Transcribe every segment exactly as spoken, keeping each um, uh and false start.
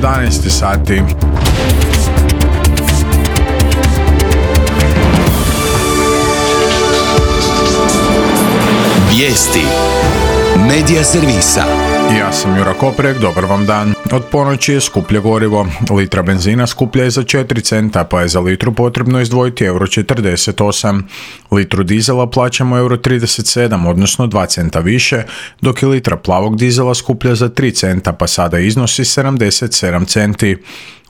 jedanaest sati. Vijesti Medija servisa. Ja sam Jura Koprek, dobar vam dan. Od ponoći je skuplje gorivo. Litra benzina skuplja je za četiri centa, pa je za litru potrebno izdvojiti euro četrdeset osam. Litru dizela plaćamo euro trideset sedam, odnosno dva centa više, dok je litra plavog dizela skuplja za tri centa, pa sada iznosi sedamdeset sedam centi.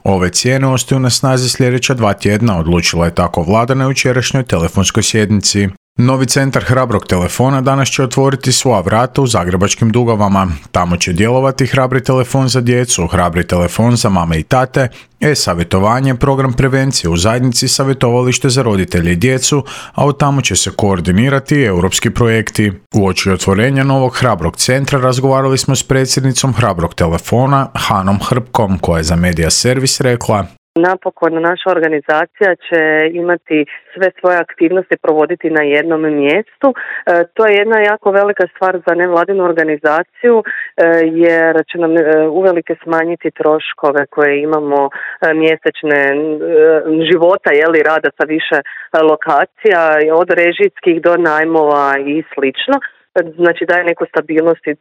Ove cijene ostaju na snazi sljedeća dva tjedna, odlučila je tako vlada na jučerašnjoj telefonskoj sjednici. Novi centar Hrabrog telefona danas će otvoriti svoja vrata u zagrebačkim Dugavama. Tamo će djelovati Hrabri telefon za djecu, Hrabri telefon za mame i tate, e-savjetovanje, program prevencije u zajednici, savjetovalište za roditelje i djecu, a od tamo će se koordinirati i europski projekti. Uoči otvorenja novog Hrabrog centra razgovarali smo s predsjednicom Hrabrog telefona, Hanom Hrpkom, koja je za Medija servis rekla: Napokon naša organizacija će imati sve svoje aktivnosti provoditi na jednom mjestu. E, to je jedna jako velika stvar za nevladinu organizaciju e, jer će nam e, uvelike smanjiti troškove koje imamo e, mjesečne e, života, jeli, rada sa više e, lokacija, od režijskih do najmova i slično. Znači daje neku stabilnost i e,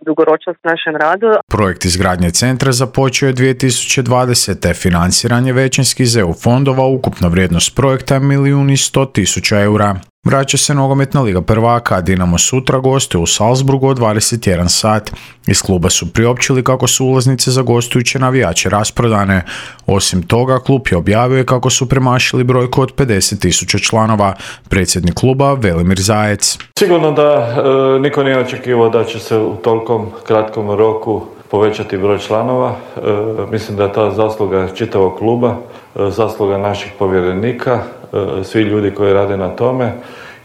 dugoročnost našem radu. Projekt izgradnje centra započeo je dvije tisuće dvadesete. Financiran je većinski iz E U fondova, ukupna vrijednost projekta je milijun i sto tisuća eura. Vraća se nogometna liga prvaka, a Dinamo sutra gostuje u Salzburgu od dvadeset jedan sat. Iz kluba su priopćili kako su ulaznice za gostujuće navijače rasprodane. Osim toga, klub je objavio kako su premašili brojku od pedeset tisuća članova. Predsjednik kluba Velimir Zajec: Sigurno da e, niko nije očekivao da će se u tolikom kratkom roku povećati broj članova. E, mislim da je ta zasluga čitavog kluba, e, zasluga naših povjerenika, e, svi ljudi koji rade na tome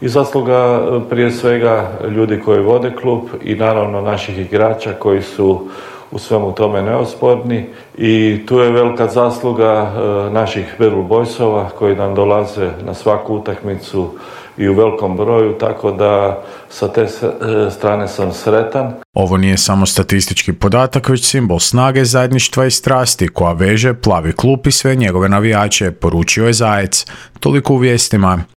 i zasluga e, prije svega ljudi koji vode klub i naravno naših igrača koji su u svemu tome neosporni. I tu je velika zasluga e, naših Battle Boysova koji nam dolaze na svaku utakmicu i u velikom broju, tako da sa te strane sam sretan. Ovo nije samo statistički podatak, već simbol snage, zajedništva i strasti koja veže plavi klub i sve njegove navijače, poručio je Zajec. Toliko u vijestima.